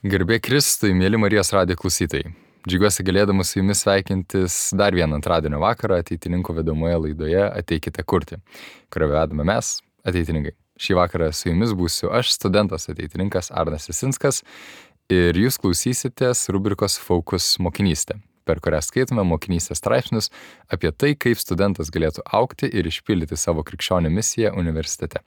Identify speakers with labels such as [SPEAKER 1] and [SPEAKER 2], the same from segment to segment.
[SPEAKER 1] Garbė Kristui, mėly Marijos radijo klausytojai. Džiaugiuosi galėdamas su jumis sveikintis dar vieną antradienio vakarą ateitininkų vedamoje laidoje Ateikite kurti, kurią vedame mes, ateitininkai. Šį vakarą su jumis būsiu aš, studentas ateitininkas Arnas Jasinskas, ir jūs klausysitės rubrikos Focus mokinystė, per kurią skaitome mokinystės straipsnius apie tai, kaip studentas galėtų augti ir išpildyti savo krikščionių misiją universitete.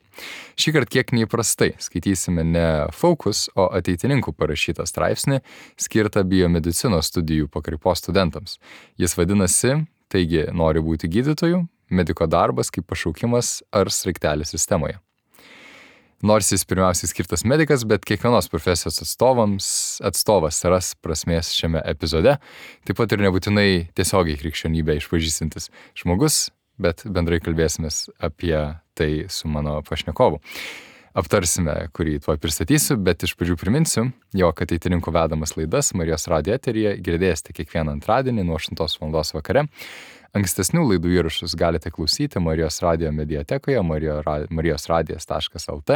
[SPEAKER 1] Šįkart kiek neįprastai skaitysime ne Focus, o ateitininkų parašytą straipsnį skirtą biomedicinos studijų pakraipos studentams. Jis vadinasi, taigi nori būti gydytoju, mediko darbas kaip pašaukimas ar sraigtelis sistemoje. Nors jis pirmiausiai skirtas medikas, bet kiekvienos profesijos atstovas ras prasmės šiame epizode, taip pat ir nebūtinai tiesiogiai krikščionybę išpažįstantis žmogus, bet bendrai kalbėsimės apie tai su mano pašnekovu. Aptarsime, kurį tuo pristatysiu, bet iš pradžių priminsiu, jog ateitininkų vedamas laidas Marijos radijo eteryje girdėsite kiekvieną antradienį nuo 8 val. Vakare. Ankstesnių laidų įrašus galite klausyti Marijos radijo mediatekoje marijosradijas.lt.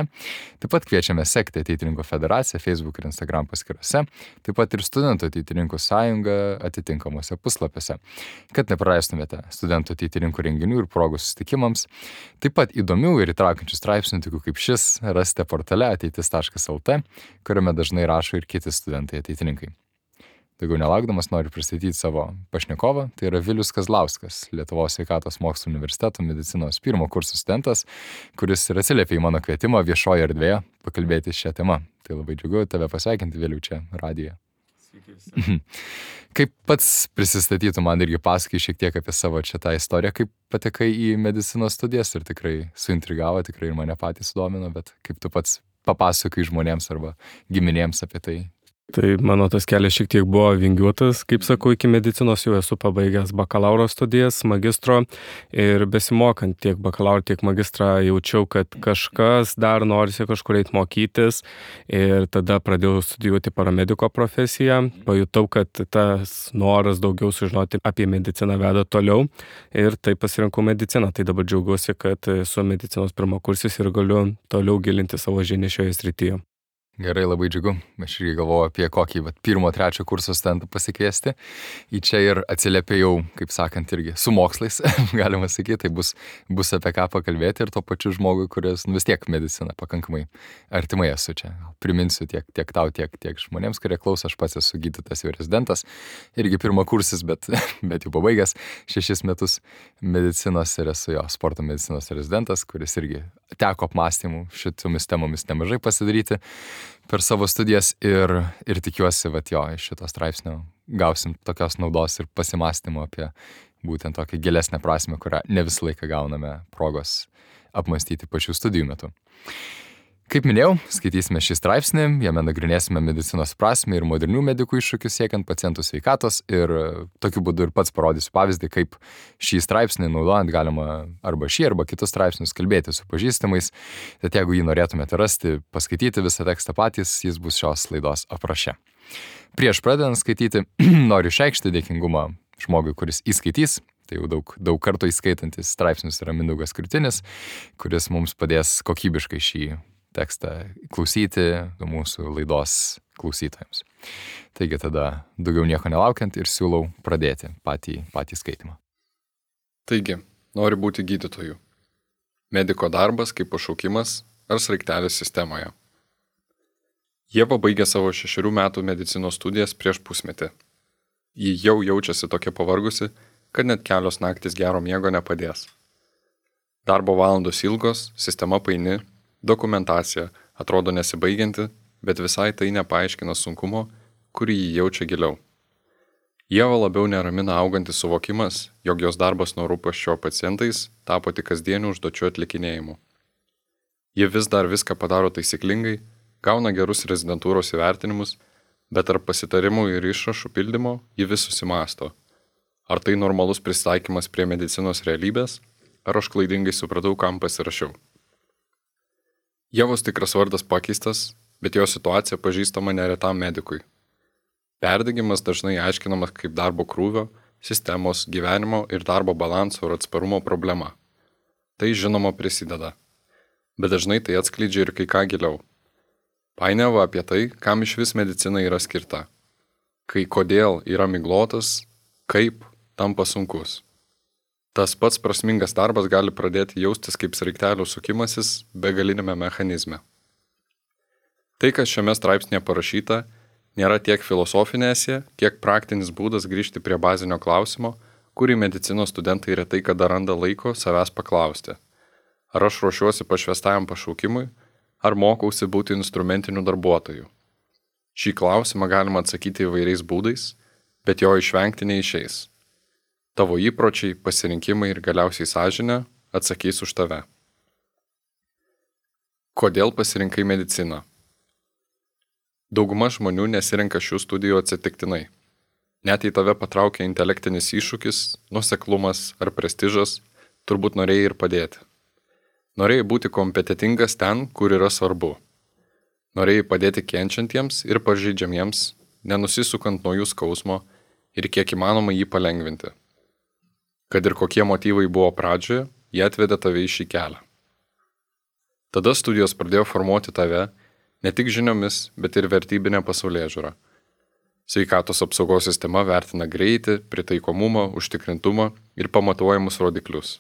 [SPEAKER 1] Taip pat kviečiame sekti Ateitininkų federaciją Facebook ir Instagram paskyrose, taip pat ir Studentų ateitininkų sąjungą atitinkamuose puslapiuose, kad nepraleistumėte studentų ateitininkų renginių ir progų susitikimams. Taip pat įdomių ir įtraukiančių straipsnių, tokių kaip šis, rasite portale ateitis.lt, kuriame dažnai rašo ir kiti studentai ateitininkai. Daugiau nelaukdamas noriu pristatyti savo pašnekovą, tai yra Vilius Kazlauskas, Lietuvos sveikatos mokslų universiteto medicinos pirmo kurso studentas, kuris ir atsiliepė į mano kvietimą viešoje erdvėje pakalbėti šią temą. Tai labai džiugu tave pasveikinti, Viliu, čia radijoje.
[SPEAKER 2] Sveiki.
[SPEAKER 1] Kaip pats prisistatytų, man irgi pasakai šiek tiek apie savo čia tą istoriją, kaip patekai į medicinos studijas ir tikrai suintrigavo, tikrai ir mane patys sudomino, bet kaip tu pats papasakai žmonėms arba giminėms apie tai.
[SPEAKER 2] Tai mano tas kelias šiek tiek buvo vingiuotas, kaip sakau, iki medicinos jau esu pabaigęs bakalauro studijas, magistro ir besimokant tiek bakalauro, tiek magistrą jaučiau, kad kažkas dar norisi kažkur eiti mokytis ir tada pradėjau studijuoti paramediko profesiją, pajutau, kad tas noras daugiau sužinoti apie mediciną veda toliau ir taip pasirinkau mediciną. Tai dabar džiaugiuosi, kad esu medicinos pirmakursis ir galiu toliau gilinti savo žinias šioje srityje.
[SPEAKER 1] Gerai, labai džiugu. Aš irgi galvoju apie kokį pirmo, trečio kurso studentą pasikviesti. Į čia ir atsiliepėjau, kaip sakant, irgi su mokslais, galima sakyti, tai bus apie ką pakalbėti ir to pačiu žmogui, kuris vis tiek medicina pakankamai artimai esu čia. Priminsiu tiek tau, tiek žmonėms, kurie klauso, aš pats esu gydytojas jau rezidentas, irgi pirmo kursis, bet jau pabaigęs 6 metus medicinos ir esu jo sporto medicinos rezidentas, kuris irgi teko apmąstymų šitomis temomis nemažai pasidaryti per savo studijas ir tikiuosi, iš šito straipsnio gausim tokios naudos ir pasimąstymo apie būtent tokią gilesnę prasmę, kurią ne visą laiką gauname progos apmąstyti pačių studijų metu. Kaip minėjau, skaitysime šį straipsnį, jame nagrinėsime medicinos prasmę ir modernių medikų iššūkius siekiant pacientų sveikatos ir tokiu būdu ir pats parodysiu pavyzdį, kaip šį straipsnį naudojant galima arba kitus straipsnius kalbėti su pažįstamais. Tad jeigu jį norėtumėte rasti, paskaityti visą tekstą patys, jis bus šios laidos apraše. Prieš pradedant skaityti, noriu išreikšti dėkingumą žmogui, kuris įskaitys. Tai jau daug kartų įskaitantis straipsnius yra Mindaugas Krutinis, kuris mums padės kokybiškai šį tekstą klausyti mūsų laidos klausytojams. Taigi tada daugiau nieko nelaukiant ir siūlau pradėti patį skaitimą.
[SPEAKER 3] Taigi, nori būti gydytoju. Mediko darbas kaip pašaukimas ar sraigtelis sistemoje. Ieva baigė savo 6 metų medicinos studijas prieš pusmetį. Ji jau jaučiasi tokia pavargusi, kad net kelios naktis gero miego nepadės. Darbo valandos ilgos, sistema paini, dokumentacija atrodo nesibaigianti, bet visai tai nepaaiškina sunkumo, kurį jį jaučia giliau. Ieva labiau neramina augantis suvokimas, jog jos darbas nuo rūpesčio pacientais tapo tik kasdienių užduočių atlikinėjimu. Ji vis dar viską padaro taisyklingai, gauna gerus rezidentūros įvertinimus, bet tarp pasitarimų ir išrašų pildymo ji vis susimąsto. Ar tai normalus prisitaikymas prie medicinos realybės, ar aš klaidingai supratau, kam pasirašiau. Ievos tikras vardas pakeistas, bet jo situacija pažįstama neretam medikui. Perdegimas dažnai aiškinamas kaip darbo krūvio, sistemos, gyvenimo ir darbo balanso ir atsparumo problema. Tai žinoma prisideda, bet dažnai tai atskleidžia ir kai ką giliau. Painiava apie tai, kam iš vis medicina yra skirta. Kai kodėl yra miglotas, kaip tampa sunkus. Tas pats prasmingas darbas gali pradėti jaustis kaip sraigtelių sukimasis begalinėme mechanizme. Tai, kas šiame straipsnėje parašyta, nėra tiek filosofinė esė, kiek praktinis būdas grįžti prie bazinio klausimo, kurį medicinos studentai retai kada randa laiko savęs paklausti. Ar aš ruošiuosi pašvestajam pašaukimui, ar mokausi būti instrumentiniu darbuotoju? Šį klausimą galima atsakyti įvairiais būdais, bet jo išvengti neišeis. Tavo įpročiai, pasirinkimai ir galiausiai sąžinė atsakys už tave. Kodėl pasirinkai mediciną? Dauguma žmonių nesirenka šių studijų atsitiktinai. Net jei tave patraukia intelektinis iššūkis, nuoseklumas ar prestižas, turbūt norėjai ir padėti. Norėjai būti kompetentingas ten, kur yra svarbu. Norėjai padėti kenčiantiems ir pažeidžiamiems, nenusisukant nuo jų skausmo ir kiek įmanoma jį palengvinti. Kad ir kokie motyvai buvo pradžioje, jie atvedė tave į šį kelią. Tada studijos pradėjo formuoti tave ne tik žiniomis, bet ir vertybinę pasaulėžiūrą. Sveikatos apsaugos sistema vertina greitį, pritaikomumą, užtikrintumą ir pamatuojamus rodiklius.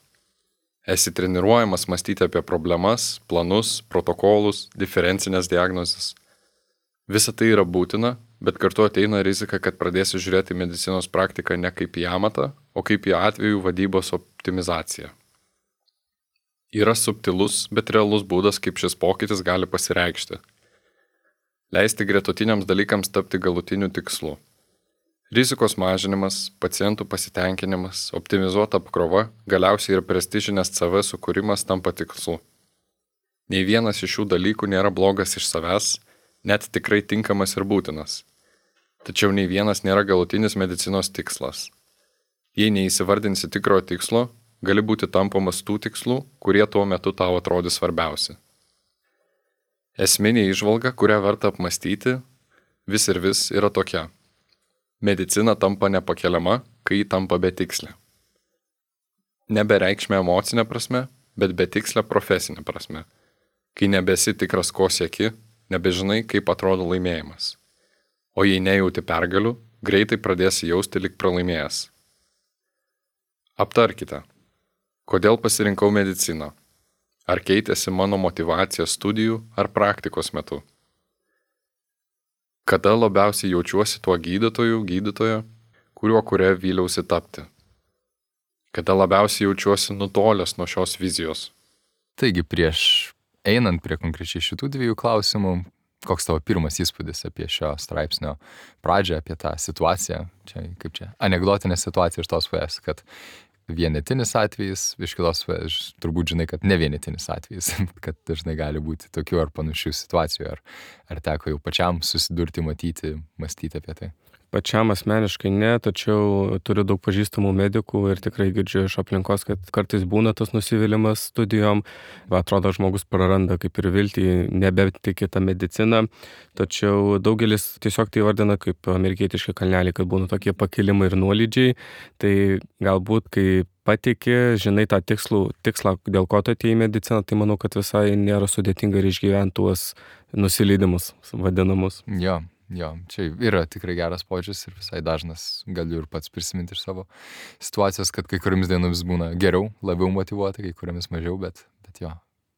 [SPEAKER 3] Esi treniruojamas mąstyti apie problemas, planus, protokolus, diferencinės diagnozes. Visa tai yra būtina, bet kartu ateina rizika, kad pradėsi žiūrėti medicinos praktiką ne kaip į amatą, o kaip į atvejų vadybos optimizaciją. Yra subtilus, bet realus būdas, kaip šis pokytis gali pasireikšti. Leisti gretutiniams dalykams tapti galutiniu tikslu. Rizikos mažinimas, pacientų pasitenkinimas, optimizuota apkrova, galiausiai ir prestižinės CV sukūrimas tampa tikslu. Nei vienas iš šių dalykų nėra blogas iš savęs, net tikrai tinkamas ir būtinas. Tačiau nei vienas nėra galutinis medicinos tikslas. Jei neįsivardinsi tikrojo tikslo, gali būti tampamas tų tikslų, kurie tuo metu tau atrodys svarbiausi. Esminė įžvalga, kurią verta apmąstyti, vis ir vis yra tokia. Medicina tampa nepakeliama, kai ji tampa betikslė. Nebereikšmė emocinė prasme, bet betikslė profesinė prasme. Kai nebesi tikras, ko sieki, nebežinai, kaip atrodo laimėjimas. O jei nejauti pergalių, greitai pradėsi jausti lyg pralaimėjęs. Aptarkite. Kodėl pasirinkau mediciną? Ar keitėsi mano motyvacija studijų ar praktikos metu? Kada labiausiai jaučiuosi tuo gydytojo, kuria vyliausi tapti? Kada labiausiai jaučiuosi nutolęs nuo šios vizijos?
[SPEAKER 1] Taigi prieš einant prie konkrečiai šitų dviejų klausimų, koks tavo pirmas įspūdis apie šio straipsnio pradžią, apie tą situaciją, anekdotinė situacija iš tos pusės, kad vienetinis atvejis, iš kitos pusės turbūt žinai, kad ne vienetinis atvejis, kad dažnai gali būti tokių ar panašių situacijų, ar teko jau pačiam susidurti, matyti, mąstyti apie tai?
[SPEAKER 2] Pačiam asmeniškai ne, tačiau turiu daug pažįstamų medikų ir tikrai girdžiu iš aplinkos, kad kartais būna tas nusivylimas studijom. Atrodo, žmogus praranda kaip ir viltį, nebetiki tą mediciną, tačiau daugelis tiesiog tai vardina kaip amerikietiški kalneliai, kad būna tokie pakilimai ir nuolydžiai. Tai galbūt, kai patiki, žinai tą tikslą, dėl ko tu atėjai į mediciną, tai manau, kad visai nėra sudėtinga ir išgyventi tuos nusileidimus vadinamus.
[SPEAKER 1] Jo, čia yra tikrai geras požiūris ir visai dažnas galiu ir pats prisiminti iš savo situacijos, kad kai kuriamis dienomis būna geriau, labiau motyvuota, kai kuriamis mažiau, bet jo,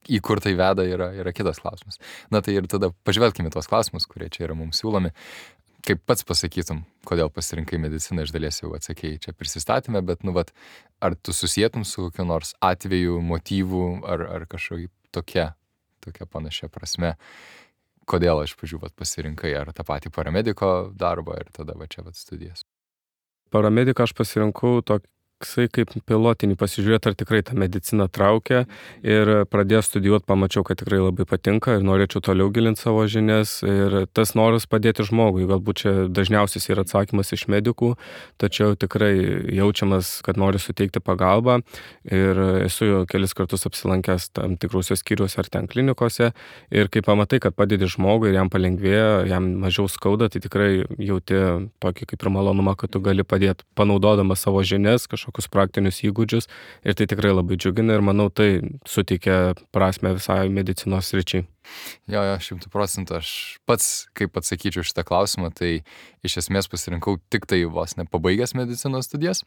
[SPEAKER 1] į kur tai veda yra kitas klausimas. Na tai ir tada pažvelkime tuos klausimus, kurie čia yra mums siūlomi. Kaip pats pasakytum, kodėl pasirinkai mediciną, iš dalies jau atsakėjai čia prisistatymę, bet ar tu susietum su kokiu nors atveju, motyvu ar kažkokia tokia panašia prasme? Kodėl iš pradžių pasirinkai ar tą patį paramediko darbą ir tada čia studijas?
[SPEAKER 2] Paramediką aš pasirinkau toksai kaip pilotinį, pasižiūrėti, ar tikrai ta medicina traukia, ir pradėjęs studijuoti pamačiau, kad tikrai labai patinka ir norėčiau toliau gilinti savo žinias ir tas noras padėti žmogui. Galbūt čia dažniausias yra atsakymas iš medikų, tačiau tikrai jaučiamas, kad noriu suteikti pagalbą ir esu kelis kartus apsilankęs tam tikrose skyriuose ar ten klinikose ir kai pamatai, kad padedi žmogui ir jam palengvėja, jam mažiau skauda, tai tikrai jauti tokį kaip ir malonumą, kad tu gali padėti panaudodamas savo žinias, kažkokią kažkokius praktinius įgūdžius ir tai tikrai labai džiugina ir manau tai suteikia prasme visai medicinos sričiai.
[SPEAKER 1] Jo, 100%. Aš pats, kaip atsakyčiau šitą klausimą, tai iš esmės pasirinkau tik tai vos nepabaigęs medicinos studijas.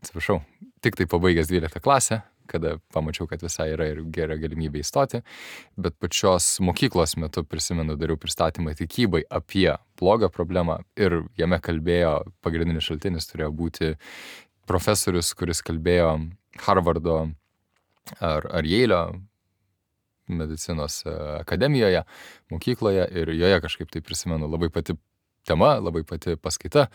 [SPEAKER 1] Atsiprašau, tik tai pabaigęs 12 klasę, kada pamačiau, kad visai yra ir gera galimybė įstoti. Bet pačios mokyklos metu, prisimenu, dariau pristatymą tikybai apie blogą problemą ir jame kalbėjo, pagrindinis šaltinis turėjo būti profesorius, kuris kalbėjo Harvardo ar Yale'o medicinos akademijoje, mokykloje ir joje kažkaip tai prisimenu labai pati tema, labai pati paskaita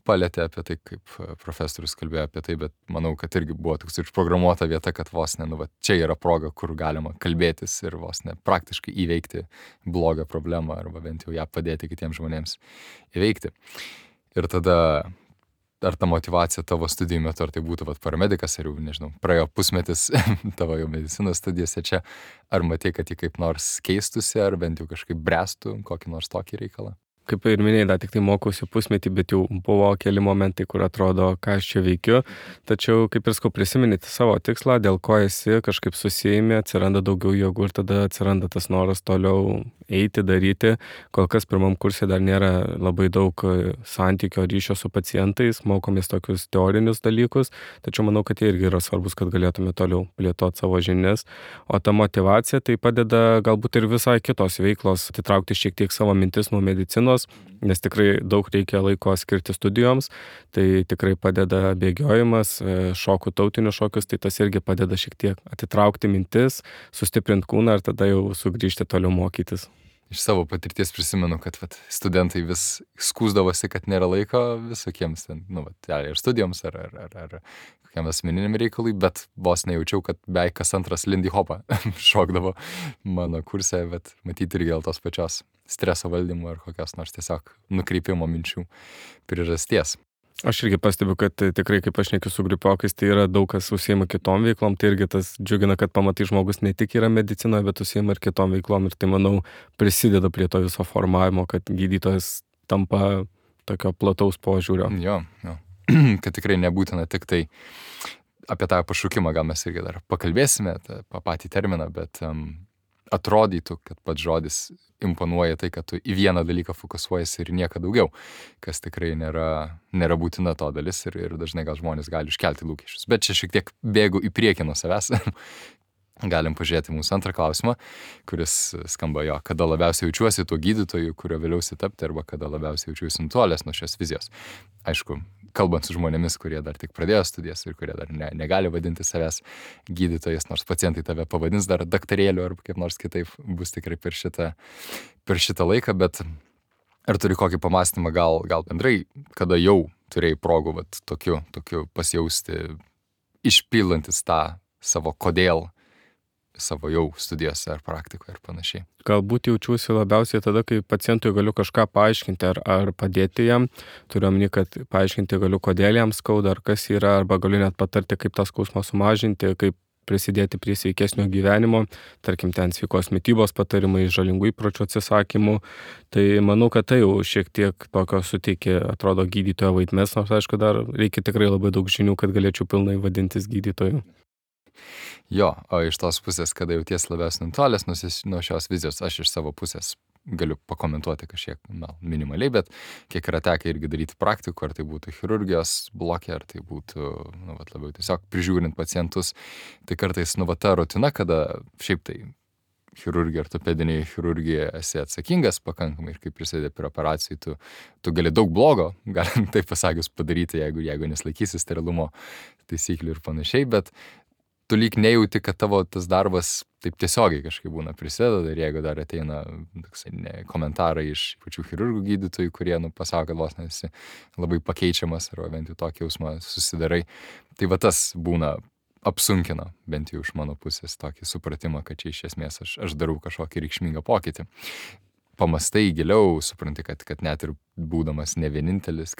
[SPEAKER 1] palėtė apie tai, kaip profesorius kalbėjo apie tai, bet manau, kad irgi buvo toks užprogramuota vieta, kad vos ne, čia yra proga, kur galima kalbėtis ir vos ne praktiškai įveikti blogą problemą arba bent jau ją padėti kitiems žmonėms įveikti. Ir tada ar ta motyvacija tavo studijų metu, ar tai būtų paramedikas, ar jau, nežinau, praėjo pusmetis tavo jau medicinos studijose čia, ar matei, kad jį kaip nors keistusi, ar bent jau kažkaip bręstų kokį nors tokį reikalą?
[SPEAKER 2] Kaip ir minėjai, dar tik tai mokausi pusmetį, bet jau buvo keli momentai, kur atrodo, ką aš čia veikiu. Tačiau, kaip ir skau, prisiminti savo tikslą, dėl ko esi, kažkaip susijimi, atsiranda daugiau jėgų ir tada atsiranda tas noras toliau eiti, daryti. Kol kas pirmam kursė dar nėra labai daug santykio ryšio su pacientais, mokomės tokius teorinius dalykus, tačiau manau, kad jie irgi yra svarbus, kad galėtume toliau plėtoti savo žinias. O ta motyvacija tai padeda galbūt ir visai kitos veiklos, atitraukti šiek tiek savo mintis nuo medicinos, nes tikrai daug reikia laiko skirti studijoms, tai tikrai padeda bėgiojimas, šokų, tautinius šokius, tai tas irgi padeda šiek tiek atitraukti mintis, sustiprinti kūną ir tada jau sugrįžti toliau mokytis.
[SPEAKER 1] Iš savo patirties prisimenu, kad studentai vis skųsdavosi, kad nėra laiko visokiems ten, ir studijoms ar kokiam asmeniniam reikalui, bet vos nejaučiau, kad beveik kas antras Lindy Hopą šokdavo mano kurse, bet matyti irgi dėl tos pačios streso valdymo ar kokios nors tiesiog nukreipimo minčių priežasties.
[SPEAKER 2] Aš irgi pastebiu, kad tikrai, kaip aš nekiu su grupiokais, tai yra daug kas užsiima kitom veiklom, tai irgi tas džiugina, kad pamatai žmogus ne tik yra medicinoje, bet užsiima ir kitom veiklom ir tai, manau, prisideda prie to viso formavimo, kad gydytojas tampa tokio plataus požiūrio.
[SPEAKER 1] Jo. Kad tikrai nebūtina tik tai apie tą pašaukimą, gal mes irgi dar pakalbėsime, tą patį terminą, bet atrodytų, kad pats žodis imponuoja tai, kad tu į vieną dalyką fokusuojasi ir nieko daugiau, kas tikrai nėra būtina to dalis ir dažnai gal žmonės gali iškelti lūkesčius. Bet čia šiek tiek bėgu į priekį nuo savęs. Galim pažiūrėti mūsų antrą klausimą, kuris skamba jo, kada labiausiai jaučiuosi tuo gydytoju, kurio vėliausiai tapti, arba kada labiausiai jaučiuosi nutolęs nuo šios vizijos. Aišku, kalbant su žmonėmis, kurie dar tik pradėjo studijas ir kurie dar negali vadinti savęs gydytojas, nors pacientai tave pavadins dar daktarėliu ar kaip nors kitaip, bus tikrai per šitą laiką, bet ar turi kokį pamąstymą gal bendrai, kada jau turėjai progų tokiu pasijausti, išpilantis tą savo kodėl, savo jau studijose ar praktikoje ir panašiai.
[SPEAKER 2] Galbūt jaučiuosi labiausiai tada, kai pacientui galiu kažką paaiškinti ar padėti jam. Turiu omeny, kad paaiškinti galiu, kodėl jam skauda, ar kas yra, arba galiu net patarti, kaip tą skausmą sumažinti, kaip prisidėti prie sveikesnio gyvenimo, tarkim, ten sveikos mitybos patarimai, žalingų įpročių atsisakymų. Tai manau, kad tai jau šiek tiek tokio suteikia, atrodo, gydytojo vaidmens, nors aišku, dar reikia tikrai labai daug žinių, kad galėčiau pilnai vadintis gydytoju.
[SPEAKER 1] Jo, o iš tos pusės, kada jauties labiausiai nutolęs nuo šios vizijos, aš iš savo pusės galiu pakomentuoti kažkiek minimaliai, bet kiek yra tekę irgi daryti praktikų, ar tai būtų chirurgijos blokė, ar tai būtų labiau tiesiog prižiūrint pacientus, tai kartais ta rutina, kada šiaip tai chirurgija, ortopedinėje chirurgijoje esi atsakingas pakankamai ir kaip prisidedi prie operacijų, tu gali daug blogo, galim taip pasakius padaryti, jeigu neslaikysi sterilumo taisyklių ir panašiai, bet tu lyg nejauti, kad tavo tas darbas taip tiesiogiai kažkaip būna prisideda ir jeigu dar ateina komentarai iš pačių chirurgų gydytojų, kurie pasako, kad vos nesi labai pakeičiamas arba bent jau tokį jausmą susidarai, tai tas būna apsunkina bent jau iš mano pusės tokį supratimą, kad čia iš esmės aš darau kažkokį reikšmingą pokytį. Pamastai giliau, supranti, kad net ir būdamas ne vienintelis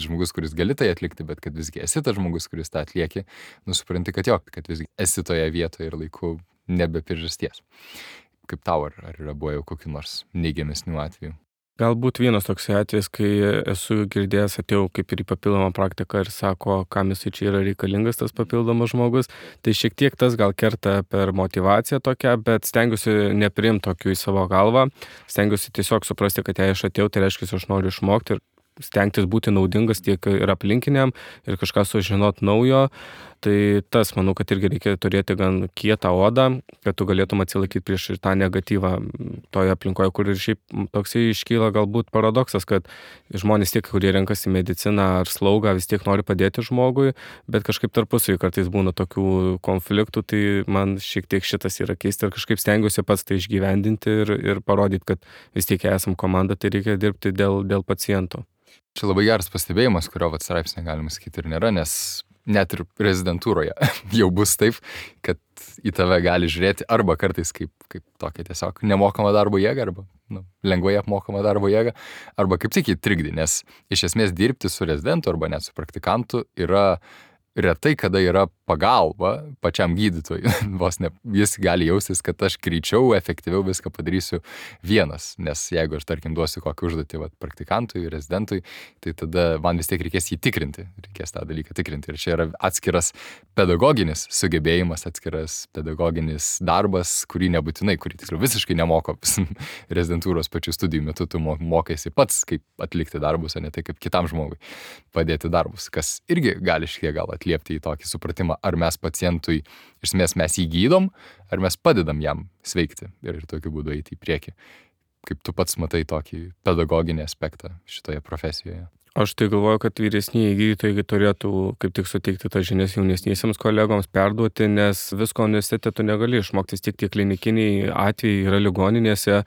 [SPEAKER 1] žmogus, kuris gali tai atlikti, bet kad visgi esi tas žmogus, kuris tą atlieki, supranti, kad visgi esi toje vietoje ir laiku nebe priežasties. Kaip tau, ar yra buvo jau kokių nors neigiamesnių atvejų?
[SPEAKER 2] Galbūt vienas toks atvejis, kai esu girdėjęs, atėjau kaip ir į papildomą praktiką ir sako, kam jisai čia yra reikalingas tas papildomas žmogus. Tai šiek tiek tas gal kerta per motyvaciją tokią, bet stengiuosi nepriimti tokių į savo galvą. Stengiuosi tiesiog suprasti, kad jei aš atėjau, tai reiškia, aš noriu išmokti ir stengtis būti naudingas tiek ir aplinkiniam ir kažką sužinot naujo. Tai tas, manau, kad irgi reikia turėti gan kietą odą, kad tu galėtum atsilaikyti prieš tą negatyvą toje aplinkoje, kur ir šiaip toksai iškyla galbūt paradoksas, kad žmonės tiek, kurie renkasi mediciną ar slaugą, vis tiek nori padėti žmogui, bet kažkaip tarpusavy kartais būna tokių konfliktų, tai man šiek tiek šitas yra keista ir kažkaip stengiuosi pats tai išgyvendinti ir parodyti, kad vis tiek esam komanda, tai reikia dirbti dėl pacientų.
[SPEAKER 1] Čia labai geras pastebėjimas, kurio straipsnė galima sakyti ir nėra, nes net ir rezidentūroje jau bus taip, kad į tave gali žiūrėti arba kartais kaip tokia tiesiog nemokama darbo jėga, arba lengvai apmokama darbo jėga, arba kaip tik įtrikdį, nes iš esmės dirbti su rezidentu arba net su praktikantu yra retai, kada yra pagalba pačiam gydytojui. Vos ne, jis gali jaustis, kad aš greičiau, efektyviau viską padarysiu vienas, nes jeigu aš, tarkim, duosiu kokį užduotį praktikantui, rezidentui, tai tada man vis tiek reikės jį tikrinti, reikės tą dalyką tikrinti. Ir čia yra atskiras pedagoginis sugebėjimas, atskiras pedagoginis darbas, kurį tiksliau visiškai nemoko rezidentūros pačių studijų metu, tu mokaisi pats, kaip atlikti darbus, o ne tai, kaip kitam žmogui padėti darbus, kas irgi gali šiek tiek gal atliepti į tokį supratimą, ar mes pacientui, iš esmės mes jį gydom, ar mes padedam jam sveikti ir tokiu būdu eiti į priekį. Kaip tu pats matai tokį pedagoginį aspektą šitoje profesijoje?
[SPEAKER 2] Aš tai galvoju, kad vyresnieji gydytojai turėtų kaip tik suteikti tas žinias jaunesniesiems kolegoms, perduoti, nes visko universitete tu negali išmokti, tik tie klinikiniai atvejai yra ligoninėse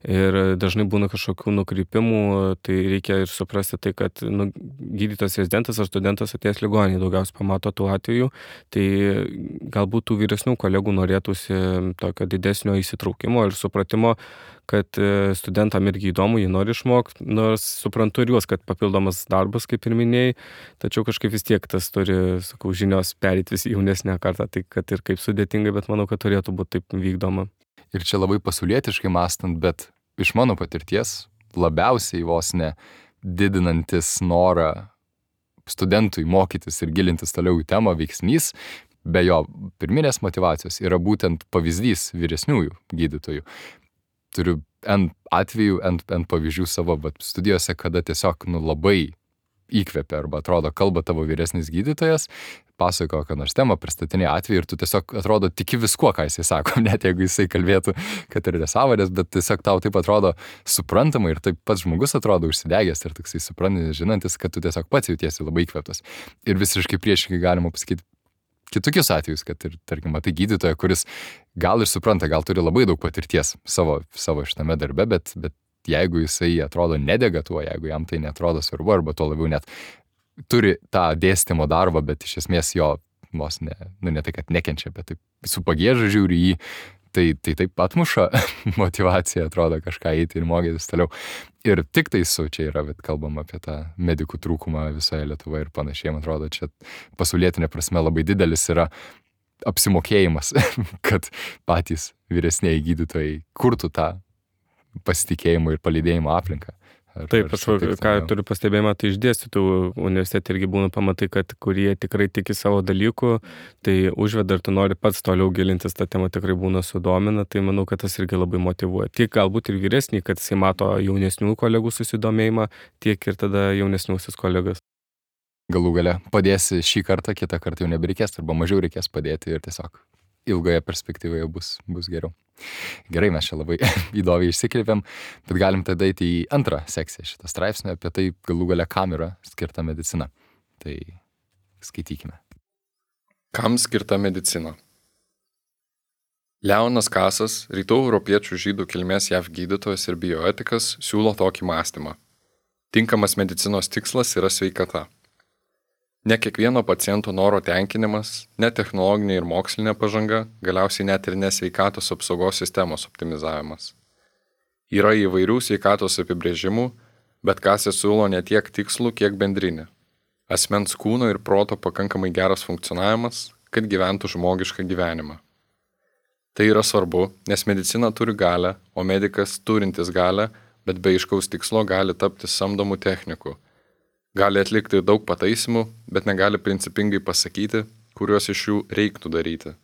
[SPEAKER 2] ir dažnai būna kažkokių nukrypimų, tai reikia ir suprasti tai, kad gydytojas rezidentas ar studentas atėjęs ligoninėje daugiausiai pamato tų atvejų, tai galbūt tų vyresnių kolegų norėtųsi tokio didesnio įsitraukimo ir supratimo, kad studentam irgi įdomu, jie nori išmokti, nors suprantu ir juos, kad papildomas darbas, kaip ir minėjai, tačiau kažkaip vis tiek tas turi, žinios perėti vis jaunesnę kartą, tai kad ir kaip sudėtingai, bet manau, kad turėtų būti taip vykdoma.
[SPEAKER 1] Ir čia labai pasaulietiškai mąstant, bet iš mano patirties labiausiai vos ne didinantis norą studentui mokytis ir gilintis toliau į temą veiksnys, be jo pirminės motyvacijos yra būtent pavyzdys vyresniųjų gydytojų. Turiu N atvejų, N pavyzdžių savo studijose, kada tiesiog labai įkvepia arba atrodo kalba tavo vyresnis gydytojas, pasakoja kokią nors temą, pristatinė atvejį ir tu tiesiog atrodo tiki viskuo, ką jisai sako, net jeigu jisai kalbėtų, kad ir nesąmonės, bet tiesiog tau taip atrodo suprantama ir taip pats žmogus atrodo užsidegęs ir toksai suprantantis, žinantis, kad tu tiesiog pats jautiesi labai įkvėptas. Ir visiškai priešingai galima pasakyti kitokius atvejus, kad ir, tarkim, matai gydytoją, kuris gal ir supranta, gal turi labai daug patirties savo šitame darbe, bet jeigu jisai atrodo nedega tuo, jeigu jam tai netrodo svarbu, arba tuo labiau net turi tą dėstymo darbą, bet iš esmės jo vos ne tai, kad nekenčia, bet taip su pagieža žiūri jį, tai taip atmuša motivacija, atrodo kažką eiti ir mokytis toliau. Ir tik tai čia yra, bet kalbam apie tą medikų trūkumą visoje Lietuvoje ir panašiai, man atrodo, čia pasaulietinė prasme labai didelis yra apsimokėjimas, kad patys vyresnieji gydytojai kurtų tą pasitikėjimo ir palydėjimo aplinką.
[SPEAKER 2] Taip, aš ką turiu pastebėjimą, tai išdėstytų universitete irgi būna pamatai, kad kurie tikrai tiki savo dalykų, tai užveda ir tu nori pats toliau gilintis, tą temą tikrai būna sudomina, tai manau, kad tas irgi labai motyvuoja. Tiek galbūt ir vyresnį, kad jisai mato jaunesnių kolegų susidomėjimą, tiek ir tada jaunesniusis kolegas.
[SPEAKER 1] Galų gale padėsi šį kartą, kitą kartą jau nebereikės, arba mažiau reikės padėti ir tiesiog ilgoje perspektyvoje bus geriau. Gerai, mes čia labai įdomiai išsikreipėm, bet galim tada eiti į antrą sekciją šitą straipsnį apie tai galų gale kam yra skirta medicina. Tai skaitykime.
[SPEAKER 3] Kam skirta medicina? Leonas Kasas, rytų europiečių žydų kilmės JAV gydytojas ir bioetikas, siūlo tokį mąstymą. Tinkamas medicinos tikslas yra sveikata. Ne kiekvieno paciento noro tenkinimas, ne technologinė ir mokslinė pažanga, galiausiai net ir nesveikatos apsaugos sistemos optimizavimas. Yra įvairių sveikatos apibrėžimų, bet Kasas siūlo ne tiek tikslų, kiek bendrinį. Asmens kūno ir proto pakankamai geras funkcionavimas, kad gyventų žmogišką gyvenimą. Tai yra svarbu, nes medicina turi galią, o medikas turintis galią bet be aiškaus tikslo gali tapti samdomų technikų. Gali atlikti daug pataisimų, bet negali principingai pasakyti, kuriuos iš jų reiktų daryti.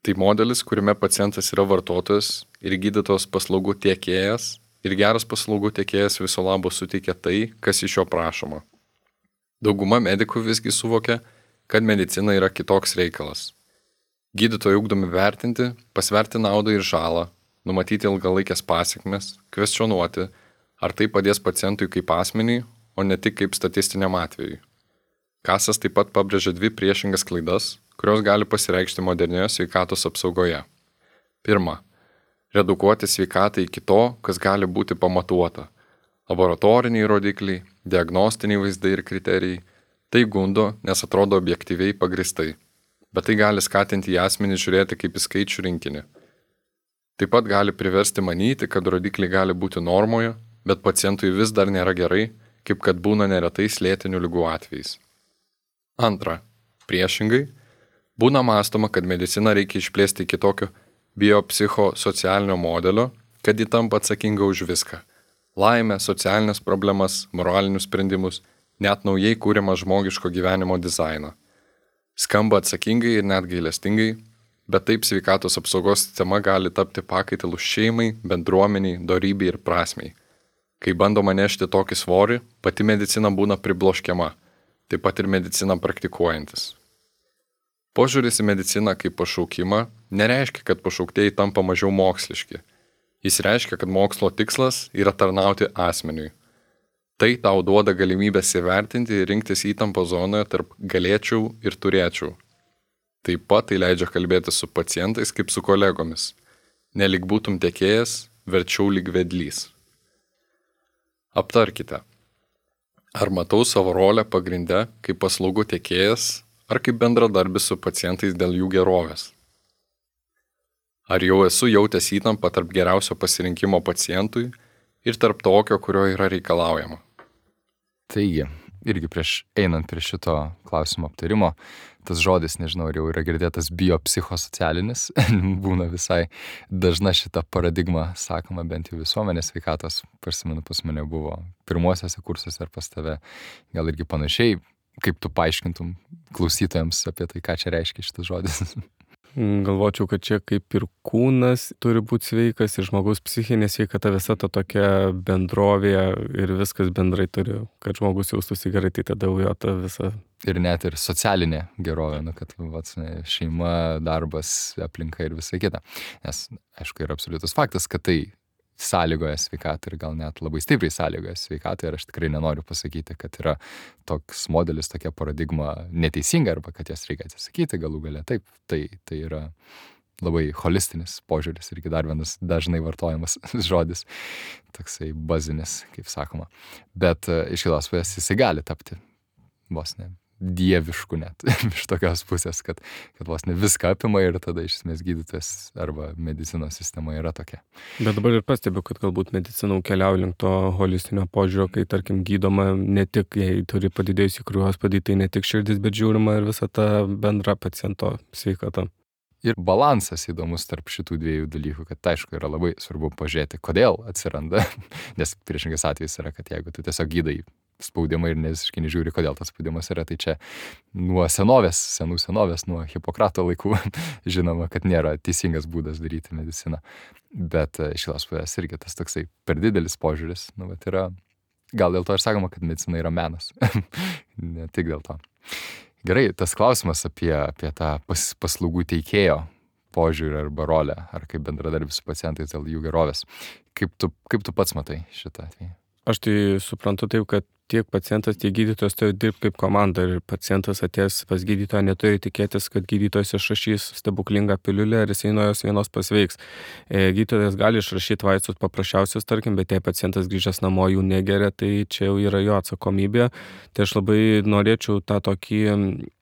[SPEAKER 3] Tai modelis, kuriame pacientas yra vartotojas ir gydytojos paslaugų tiekėjas, ir geras paslaugų tiekėjas viso labo suteikia tai, kas iš jo prašoma. Dauguma medikų visgi suvokia, kad medicina yra kitoks reikalas. Gydytojai ugdomi vertinti, pasverti naudą ir žalą, numatyti ilgalaikės pasekmes, kvestionuoti, ar tai padės pacientui kaip asmeniui, o ne tik kaip statistiniam atvejui. Kasas taip pat pabrėžia 2 priešingas klaidas, kurios gali pasireikšti modernioje sveikatos apsaugoje. Pirma, redukuoti sveikatą iki to, kas gali būti pamatuota. Laboratoriniai rodikliai, diagnostiniai vaizdai ir kriterijai. Tai gundo, nes atrodo objektyviai pagristai. Bet tai gali skatinti į asmenį žiūrėti kaip į skaičių rinkinį. Taip pat gali priversti manyti, kad rodikliai gali būti normoje, bet pacientui vis dar nėra gerai, kaip kad būna neretais lėtinių ligų atvejais. Antra, priešingai, būna mąstoma, kad mediciną reikia išplėsti iki tokio biopsichosocialinio modelio, kad ji tampa atsakinga už viską. Laimę, socialinės problemas, moralinius sprendimus, net naujai kūrimą žmogiško gyvenimo dizainą. Skamba atsakingai ir net gailestingai, bet taip sveikatos apsaugos sistema gali tapti pakaitalu šeimai, bendruomeniai, dorybei ir prasmei. Kai bandoma nešti tokį svorį, pati medicina būna pribloškiama, taip pat ir medicina praktikuojantis. Požiūris į mediciną kaip pašaukimą nereiškia, kad pašauktieji tampa mažiau moksliški. Jis reiškia, kad mokslo tikslas yra tarnauti asmeniui. Tai tau duoda galimybę įvertinti ir rinktis įtampo zonoje tarp galėčiau ir turėčiau. Taip pat tai leidžia kalbėti su pacientais kaip su kolegomis. Nelyg būtum tiekėjas, verčiau lyg vedlys. Aptarkite. Ar matau savo rolę pagrindę kaip paslaugų tiekėjas, ar kaip bendradarbis su pacientais dėl jų gerovės? Ar jau esu jautęs įtampą tarp geriausio pasirinkimo pacientui ir tarp tokio, kurio yra reikalaujama?
[SPEAKER 1] Taigi, irgi einant prie šito klausimo aptarimo, tas žodis, nežinau, ar jau yra girdėtas biopsichosocialinis, būna visai dažna šita paradigma, sakoma, bent jau visuomenės sveikatos, prisimenu, pas mane buvo pirmuosiuose kursuose ar pas tave, gal irgi panašiai, kaip tu paaiškintum klausytojams apie tai, ką čia reiškia šitas žodis.
[SPEAKER 2] Galvočiau, kad čia kaip ir kūnas turi būti sveikas ir žmogaus psichinė sveikata, visa ta tokia bendrovė ir viskas bendrai turi, kad žmogus jaustųsi gerai, tai tada jo ta visa.
[SPEAKER 1] Ir net ir socialinė gerovė, kad šeima, darbas, aplinka ir visa kita. Nes, aišku, yra absoliutus faktas, kad tai sąlygoja sveikatą ir gal net labai stipriai sąlygoja sveikatą ir aš tikrai nenoriu pasakyti, kad yra toks modelis, tokia paradigma neteisinga arba kad jas reikia atsisakyti galų gale. Taip, tai yra labai holistinis požiūris irgi dar vienas dažnai vartojamas žodis, toksai bazinis, kaip sakoma. Bet iš kitos pusės jisai gali tapti vos ne dievišku net iš tokios pusės, kad vos ne viską apima ir tada iš esmės gydytojas arba medicinos sistema yra tokia.
[SPEAKER 2] Bet dabar ir pastebiu, kad galbūt medicina keliauja link to holistinio požiūrio, kai tarkim gydoma ne tik, jei turi padidėjusi kraujospūdį, tai ne tik širdis, bet žiūrima ir visa ta bendra paciento sveikata.
[SPEAKER 1] Ir balansas įdomus tarp šitų dviejų dalykų, kad aišku yra labai svarbu pažiūrėti, kodėl atsiranda, nes priešingas atvejis yra, kad jeigu tu tiesiog gydai spaudimą ir visiškai nežiūri, kodėl tas spaudimas yra, tai čia nuo senovės, nuo Hipokrato laikų žinoma, kad nėra teisingas būdas daryti mediciną. Bet iš kitos pusės irgi tas toksai per didelis požiūris, yra, gal dėl to ir sakoma, kad medicina yra menas, ne tik dėl to. Gerai, tas klausimas apie tą paslaugų teikėjo požiūrį arba rolę, ar kaip bendradarbis su pacientais dėl jų gerovės. Kaip tu pats matai šitą atvejį?
[SPEAKER 2] Aš tai suprantu taip, kad tiek pacientas, tiek gydytojas turi dirbti kaip komanda ir pacientas atėjęs pas gydytoją neturi tikėtis, kad gydytojas išrašys stebuklingą piliulę ir jisai nuo jos vienos pasveiks. Gydytojas gali išrašyti vaistus paprasčiausius, tarkim, bet jei pacientas grįžęs namo jų negeria, tai čia jau yra jo atsakomybė. Tai aš labai norėčiau tą tokį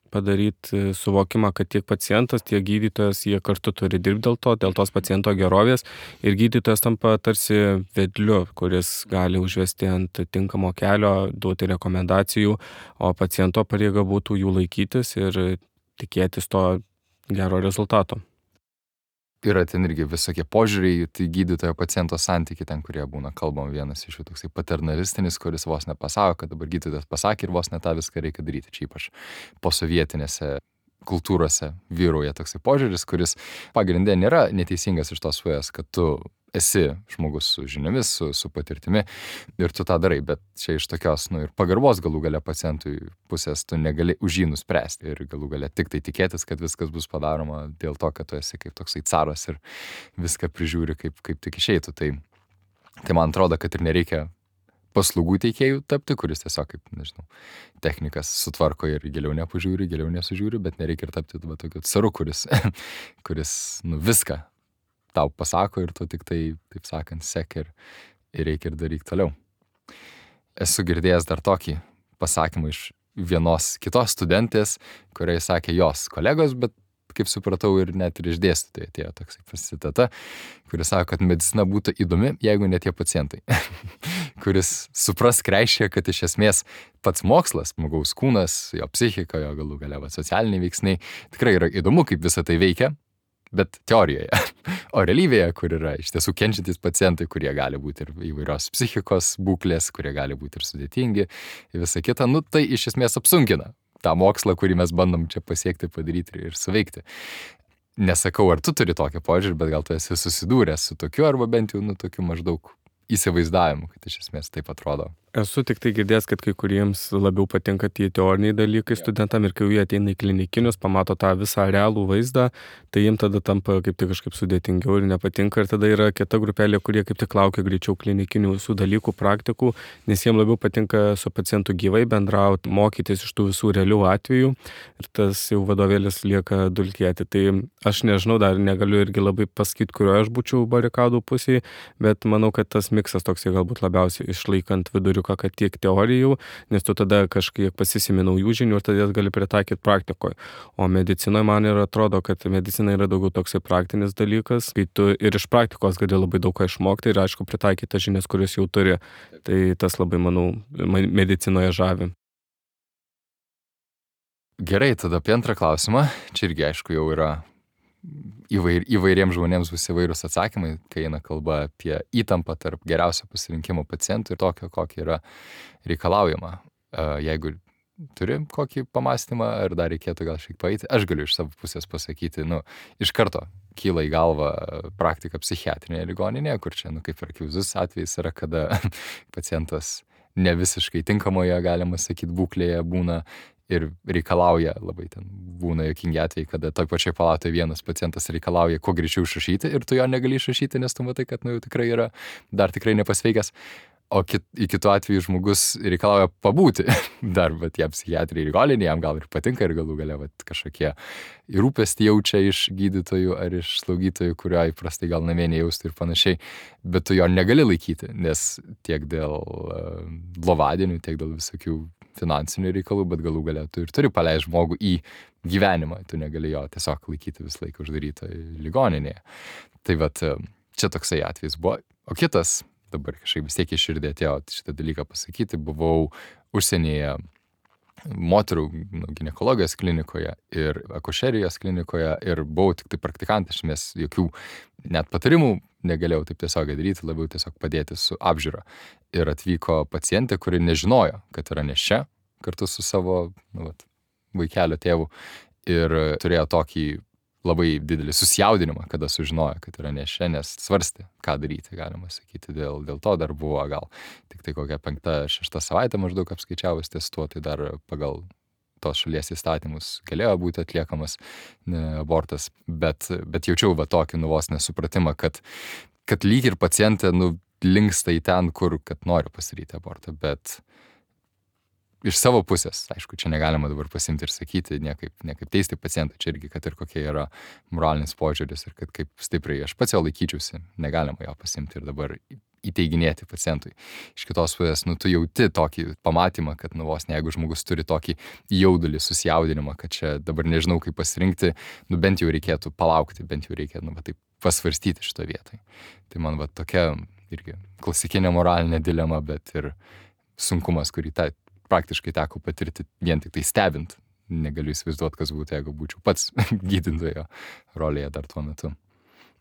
[SPEAKER 2] padaryti suvokimą, kad tiek pacientas, tiek gydytojas, jie kartu turi dirbti dėl tos paciento gerovės ir gydytojas tampa tarsi vedliu, kuris gali užvesti ant tinkamo kelio, duoti rekomendacijų, o paciento pareiga būtų jų laikytis ir tikėtis to gero rezultato.
[SPEAKER 1] yra ten irgi visokie požiūriai, tai gydytojo paciento santykiai ten, kurie būna kalbam, vienas iš jų toksai paternalistinis, kuris vos nepasako, kad dabar gydytojas pasakė ir vos ne tą viską reikia daryti. Čia ypač posovietinėse kultūrose vyrauja toksai požiūris, kuris pagrindė nėra neteisingas iš tos pusės, kad tu esi žmogus su žiniomis, su patirtimi ir tu tą darai, bet čia iš tokios, ir pagarbos galų gale pacientui pusės tu negali už jį nuspręsti ir galų gale tik tai tikėtis, kad viskas bus padaroma dėl to, kad tu esi kaip toksai caras ir viską prižiūri kaip tik išeitų. Tai man atrodo, kad ir nereikia paslaugų teikėjų tapti, kuris tiesiog kaip, nežinau, technikas sutvarko ir giliau nepažiūri, giliau nesužiūri, bet nereikia ir tapti tokiu caru, kuris viską tau pasako ir tu tik tai, taip sakant, sek ir reikia ir daryk toliau. Esu girdėjęs dar tokį pasakymą iš vienos kitos studentės, kuriai sakė jos kolegos, bet kaip supratau ir net ir iš dėstytojų atėjo toksai citata, kuris sako, kad medicina būtų įdomi, jeigu ne tie pacientai. Kuris suprask reiškia, kad iš esmės pats mokslas, žmogaus kūnas, jo psichika, jo galų gale socialiniai veiksniai, tikrai yra įdomu, kaip visą tai veikia, bet teorijoje. O realybėje, kur yra iš tiesų kenčiantys pacientai, kurie gali būti ir įvairios psichikos būklės, kurie gali būti ir sudėtingi, ir visa kita, tai iš esmės apsunkina tą mokslą, kurį mes bandom čia pasiekti, padaryti ir suveikti. Nesakau, ar tu turi tokį požiūrį, bet gal tu esi susidūręs su tokiu, arba bent jau tokiu maždaug įsivaizdavimu, kad iš esmės taip atrodo.
[SPEAKER 2] Esu tik tai girdėjęs, kad kai kuriems labiau patinka tie teoriniai dalykai studentam ir kai jie ateina į klinikinius, pamato tą visą realų vaizdą, tai jiems tada tampa kaip tik kažkaip sudėtingiau ir nepatinka. Ir tada yra kita grupelė, kurie kaip tik laukia greičiau klinikinių visų dalykų, praktikų, nes jiems labiau patinka su pacientu gyvai bendrauti, mokytis iš tų visų realių atvejų ir tas jau vadovėlis lieka dulkėti. Tai aš nežinau, dar negaliu irgi labai pasakyti, kurioje aš būčiau barikadų pusėje, bet manau, kad tas miksas toksai galbūt labiausiai išlaikant viduriuką, kad tiek teorijų, nes tu tada kažkiek pasisimi naujų žinių ir tada jas gali pritaikyti praktikoje. O medicinoje man ir atrodo, kad medicina yra daugiau toksai praktinis dalykas, kai tu ir iš praktikos gali labai daug ką išmokti ir aišku pritaikyti tas žinias, kurias jau turi. Tai tas labai, manau, medicinoje žavi.
[SPEAKER 1] Gerai, tada apie antrą klausimą. Čia irgi aišku jau yra įvairiems žmonėms bus įvairūs atsakymai, kai eina kalba apie įtampą tarp geriausio pasirinkimo pacientų ir tokio, kokį yra reikalaujama. Jeigu turi kokį pamastymą, ar dar reikėtų gal šiek paeiti, aš galiu iš savo pusės pasakyti, iš karto kyla į galvą praktika psichiatrinėje ligoninėje, kur čia, kaip ir akivaizdus atvejis yra, kada pacientas ne visiškai tinkamoje, galima sakyti, būklėje būna ir reikalauja, labai ten būna jokingi atvejai, kada toj pačioj palatoje vienas pacientas reikalauja kuo greičiau išrašyti ir tu jo negali išrašyti, nes tu matai, kad jau tikrai yra, dar tikrai nepasveikęs. O į kitų atveju žmogus reikalauja pabūti dar, bet jam psichiatrijai ligoninėje, jam gal ir patinka ir galų gale kažkokie rūpestį jaučia iš gydytojų ar iš slaugytojų, kurio įprastai gal namie nejaustų ir panašiai, bet tu jo negali laikyti, nes tiek dėl lovadienių, tiek dėl visokių finansinių reikalų, bet galų gale tu ir turi paleisti žmogų į gyvenimą, tu negali jo tiesiog laikyti visą laiką uždarytoje ligoninėje. Tai vat čia toksai atvejis buvo. O kitas, dabar kažkaip vis tiek į širdį atėjo šitą dalyką pasakyti, buvau užsienyje moterų ginekologijos klinikoje ir akušerijos klinikoje ir buvau tik tai praktikantas, nes jokių net patarimų negalėjau taip tiesiog daryti, labiau tiesiog padėti su apžiūra. Ir atvyko pacientė, kuri nežinojo, kad yra nėščia kartu su savo vaikelio tėvu ir turėjo tokį labai didelį susijaudinimą, kada sužinojo, kad yra nėščia, nes svarstė, ką daryti, galima sakyti. Dėl to dar buvo gal tik tai kokią 5-6 savaitę maždaug apskaičiavus ties tuo, tai dar pagal tos šalies įstatymus galėjo būti atliekamas abortas, bet jaučiau tokį vos nesupratimą, kad lyg ir pacientė linksta į ten, kur kad nori pasidaryti abortą, bet iš savo pusės, aišku, čia negalima dabar pasimti ir sakyti, niekaip teisti pacientą, čia irgi, kad ir kokie yra moralinis požiūris ir kad kaip stipriai aš pats jo laikyčiausi, negalima jo pasimti ir dabar įteiginėti pacientui. Iš kitos pusės, tu jauti tokį pamatymą, kad vos ne, jeigu žmogus turi tokį jaudulį, susijaudinimą, kad čia dabar nežinau, kaip pasirinkti, bent jau reikėtų palaukti, bent jau reikia, taip pasvarstyti šito vietoj. Tai man tokia irgi klasikinė moralinė dilema, bet ir sunkumas, kurį praktiškai teko patirti vien tik tai stebint. Negaliu įsivaizduoti, kas būtų, jeigu būčiau pats gydytojo rolėje dar tuo metu.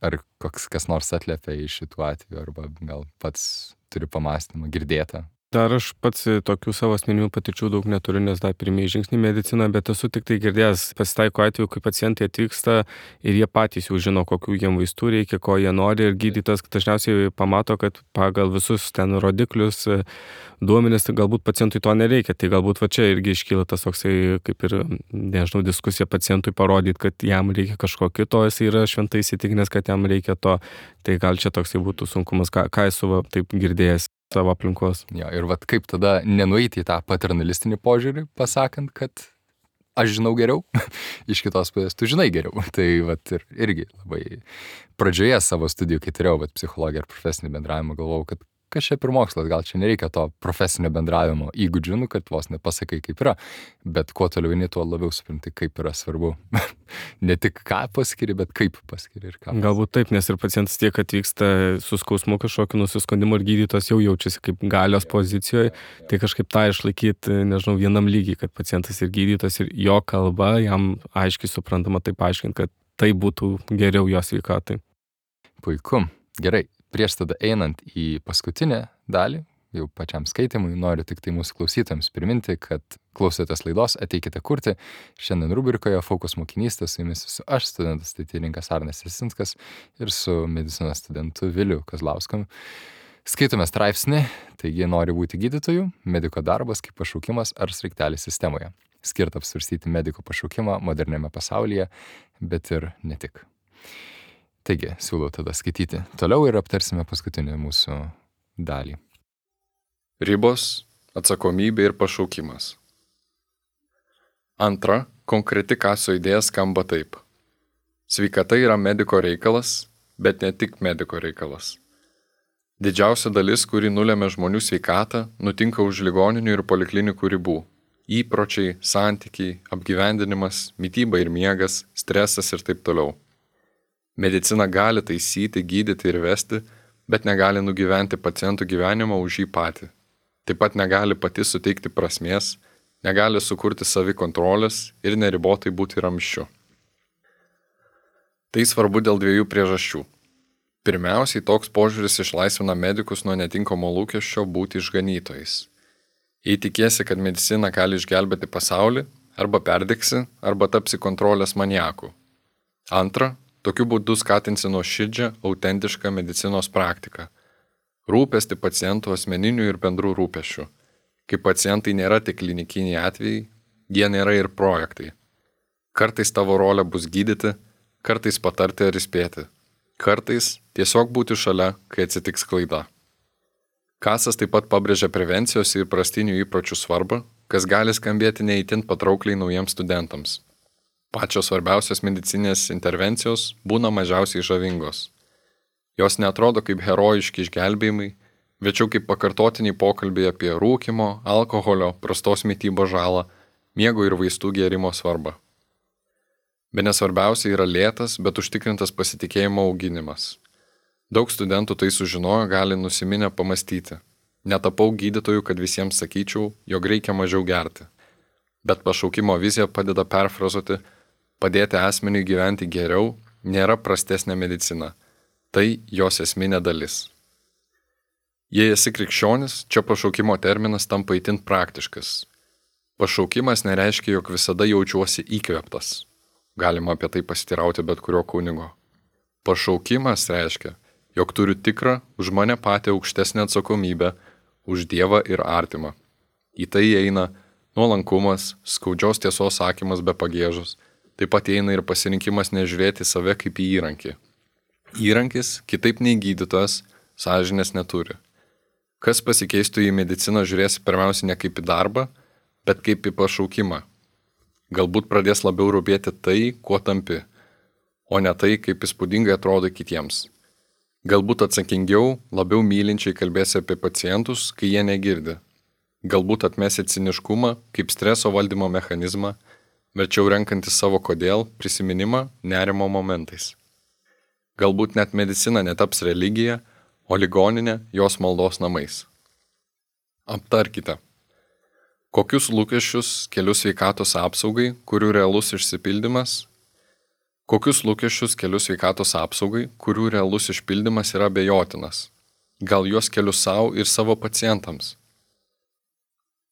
[SPEAKER 1] Ar kas nors atliepia iš šitų atvejų, arba gal pats turi pamastymą girdėtą?
[SPEAKER 2] Dar aš pats tokių savo asmeninių patirčių daug neturiu, nes dar pirmieji žingsniai medicina, bet esu tik tai girdėjęs, pasitaiko atveju, kai pacientai atvyksta ir jie patys jau žino, kokių jiem vaistų reikia, ko jie nori, ir gydytojas dažniausiai pamato, kad pagal visus ten rodiklius, duomenis, tai galbūt pacientui to nereikia, tai galbūt va čia irgi iškyla tas toksai, kaip ir, nežinau, diskusija pacientui parodyti, kad jam reikia kažko kito, jis yra šventai įsitikinęs, kad jam reikia to, tai gal čia toksai būtų sunkumas, ką esu taip girdėjęs savo aplinkos.
[SPEAKER 1] Jo, ir vat kaip tada nenueiti į tą paternalistinį požiūrį, pasakant, kad aš žinau geriau, iš kitos pusės tu žinai geriau. Tai vat irgi labai pradžioje savo studijų, kai turėjau psichologiją ir profesinį bendravimą, galvojau, kad kas čia per mokslas, gal čia nereikia to profesinio bendravimo įgūdžių, kad vos nepasakai kaip yra, bet kuo toliau eini, tuo labiau supranti, kaip yra svarbu. Ne tik ką paskiri, bet kaip paskiri ir ką.
[SPEAKER 2] Galbūt taip, nes ir pacientas tiek atvyksta su skausmu kažkokiu nusiskundimu ir gydytojas jau jaučiasi kaip galios pozicijoje, tai kažkaip tą išlaikyti, nežinau, vienam lygiai, kad pacientas ir gydytojas ir jo kalba jam aiškiai suprantama taip aiškinti, kad tai būtų geriau jo sveikatai.
[SPEAKER 1] Puiku, gerai. Prieš tada einant į paskutinę dalį, jau pačiam skaitimui, noriu tik tai mūsų klausytojams priminti, kad klausotės laidos Ateikite kurti. Šiandien rubrikoje Fokus mokinystė, su jumis esu aš, studentas statybininkas Arnas Jasinskas, ir su medicinos studentu Viliu Kazlausku. Skaitome straipsnį, taigi nori būti gydytoju, mediko darbas kaip pašaukimas ar sraigtelis sistemoje. Skirta apsvarstyti mediko pašaukimą moderniame pasaulyje, bet ir ne tik. Taigi, siūlau tada skaityti toliau ir aptarsime paskutinį mūsų dalį.
[SPEAKER 3] Ribos, atsakomybė ir pašaukimas. Antra, konkreti Kasio idėja skamba taip. Sveikata yra mediko reikalas, bet ne tik mediko reikalas. Didžiausia dalis, kuri nulėmė žmonių sveikatą, nutinka už ligoninių ir poliklinikų ribų. Įpročiai, santykiai, apgyvendinimas, mityba ir miegas, stresas ir taip toliau. Medicina gali taisyti, gydyti ir vesti, bet negali nugyventi pacientų gyvenimą už jį patį. Taip pat negali pati suteikti prasmės, negali sukurti savikontrolės ir neribotai būti ramsčiu. Tai svarbu dėl dviejų priežasčių. Pirmiausiai, toks požiūris išlaisvina medikus nuo netinkamo lūkesčio būti išganytojais. Jei tikiesi, kad medicina gali išgelbėti pasaulį, arba perdegsi, arba tapsi kontrolės maniaku. Antra, tokiu būdu skatinsi nuoširdžią, autentišką medicinos praktiką. Rūpesti pacientų asmeninių ir bendrų rūpesčių. Kai pacientai nėra tik klinikiniai atvejai, jie nėra ir projektai. Kartais tavo rolė bus gydyti, kartais patarti ar įspėti. Kartais tiesiog būti šalia, kai atsitiks klaida. Kasas taip pat pabrėžia prevencijos ir prastinių įpročių svarbą, kas gali skambėti neįtin patraukliai naujiems studentams. Pačios svarbiausios medicinės intervencijos būna mažiausiai žavingos. Jos neatrodo kaip herojiški išgelbėjimai, veičiau kaip pakartotiniai pokalbiai apie rūkymo, alkoholio, prastos mitybos žalą, miego ir vaistų gėrimo svarbą. Bene svarbiausia yra lėtas, bet užtikrintas pasitikėjimo auginimas. Daug studentų tai sužinojo, gali nusiminę pamastyti. Netapau gydytoju, kad visiems sakyčiau, jog reikia mažiau gerti. Bet pašaukimo vizija padeda perfrazuoti, padėti asmeniui gyventi geriau, nėra prastesnė medicina. Tai jos esminė dalis. Jei esi krikščionis, čia pašaukimo terminas tampa itin praktiškas. Pašaukimas nereiškia, jog visada jaučiuosi įkvėptas. Galima apie tai pasitirauti bet kurio kunigo. Pašaukimas reiškia, jog turiu tikrą, už mane patį aukštesnę atsakomybę, už Dievą ir artimą. Į tai įeina nuolankumas, skaudžios tiesos sakymas be pagiežos, taip pat įeina ir pasirinkimas nežiūrėti save kaip į įrankį. Įrankis, kitaip nei gydytojas, sąžinės neturi. Kas pasikeistų į mediciną žiūrėsi pirmiausia ne kaip į darbą, bet kaip į pašaukimą. Galbūt pradės labiau rūpėti tai, kuo tampi, o ne tai, kaip įspūdingai atrodo kitiems. Galbūt atsakingiau, labiau mylinčiai kalbėsi apie pacientus, kai jie negirdi. Galbūt atmesi ciniškumą kaip streso valdymo mechanizmą, verčiau renkantis savo kodėl prisiminimą nerimo momentais. Galbūt net medicina netaps religija, o ligoninė jos maldos namais. Aptarkite. Kokius lūkesčius keliu sveikatos apsaugai, kurių realus išsipildymas? Kokius lūkesčius keliu sveikatos apsaugai, kurių realus išpildymas yra abejotinas? Gal juos keliu savo ir savo pacientams?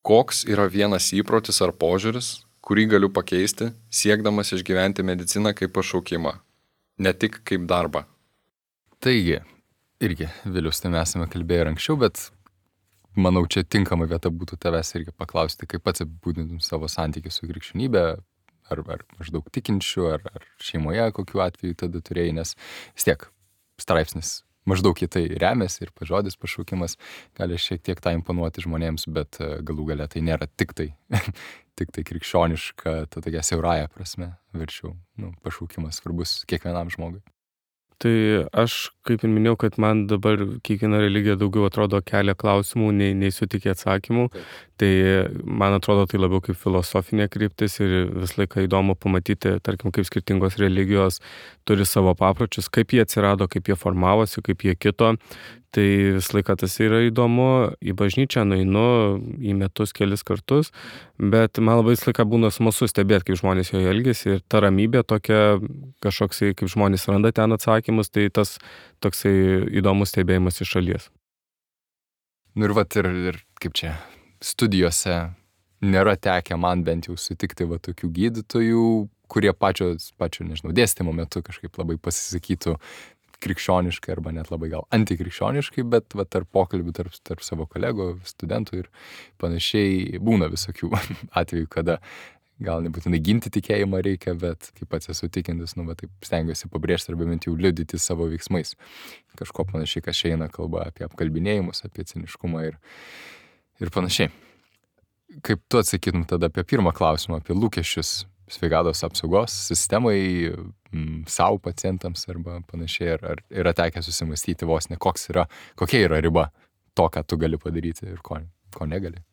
[SPEAKER 3] Koks yra vienas įprotis ar požiūris, kurį galiu pakeisti, siekdamas išgyventi mediciną kaip pašaukimą, ne tik kaip darbą?
[SPEAKER 1] Taigi, irgi, Vilius, tai mes esame kalbėję ir anksčiau, bet manau, čia tinkama vieta būtų tavęs irgi paklausti, kaip pats apibūdintum savo santykį su krikščionybė, ar maždaug tikinčių, ar šeimoje kokiu atveju tada turėjai, nes vis tiek straipsnis maždaug į tai remiasi ir žodis pašaukimas gali šiek tiek tą imponuoti žmonėms, bet galų gale tai nėra tik tai krikščioniška, ta tokia siaurąja prasme, verčiau, pašaukimas svarbus kiekvienam žmogui.
[SPEAKER 2] Tai aš, kaip ir minėjau, kad man dabar kiekviena religija daugiau atrodo kelia klausimų, nei sutikė atsakymų. Tai man atrodo tai labiau kaip filosofinė kryptis ir vis laiką įdomu pamatyti, tarkim, kaip skirtingos religijos turi savo papročius, kaip jie atsirado, kaip jie formavosi, kaip jie kito. Tai vis laiką tas yra įdomu, į bažnyčią nueinu į metus kelis kartus, bet man labai vis laiką būna smalsu stebėti, kaip žmonės joje elgiasi ir ta ramybė tokia kažkoksai, kaip žmonės randa ten atsakymus, tai tas toksai įdomus stebėjimas iš šalies.
[SPEAKER 1] Ir kaip čia, studijose nėra tekę man bent jau sutikti tokių gydytojų, kurie pačio, nežinau, dėstymo metu kažkaip labai pasisakytų krikščioniškai arba net labai gal antikrikščioniškai, bet tarp pokalbių, tarp savo kolegų, studentų ir panašiai būna visokių atvejų, kada gal nebūtinai ginti tikėjimą reikia, bet kaip pats esu tikintis, taip stengiuosi pabrėžti arba bent jau liudyti savo veiksmais. Kažko panašiai, kas eina kalba apie apkalbinėjimus, apie ciniškumą ir panašiai. Kaip tu atsakytum tada apie pirmą klausimą, apie lūkesčius sveikatos apsaugos sistemai, savo pacientams arba panašiai, ar yra tekę susimastyti vos ne, kokia yra riba to, ką tu gali padaryti ir ko negali?